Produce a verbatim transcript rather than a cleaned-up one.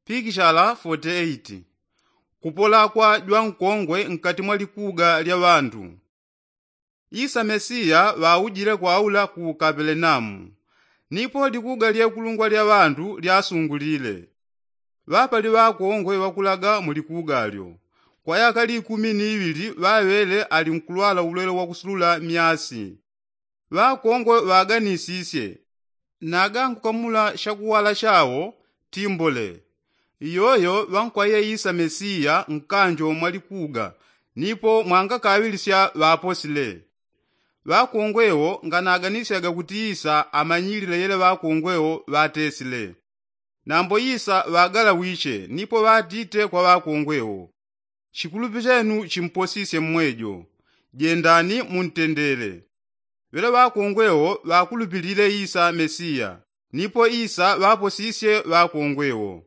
Pikishala foti eiti. Kupola kwa jwankongwe nkati mwa likuga lya ŵandu. Isa mesiya ŵaujile kwaula ku kapelenamu. Nipo likuga lyekulungwa lya ŵandu lyasungulile. Ŵapali ŵakongwe ŵakulaga mu likuga lyo. Kwa yaka likumi ni iŵili ŵaŵele ali nkulwala ulwele wa kusulula myasi. Ŵakongwe ŵaganisisye, naga nkukamula shakuwala shawo timbole. Iyoyo ŵankwaiye isa mesiya nkanjo mwa likuga. Nipo mwangakaŵilisya ŵaposile. Ŵakongwe wo nganaganisyaga kuti isa amanyilile yele ŵakongwe wo ŵatesile. Nambo isa ŵagalawiche nipo ŵatite kwa ŵakongwe wo, shikulupi shenu shimposisye mmwejo. Jendani muntendele. Ŵele ŵakongwe wo ŵakulupilile isa mesiya. Nipo isa ŵaposisye ŵakongwe wo.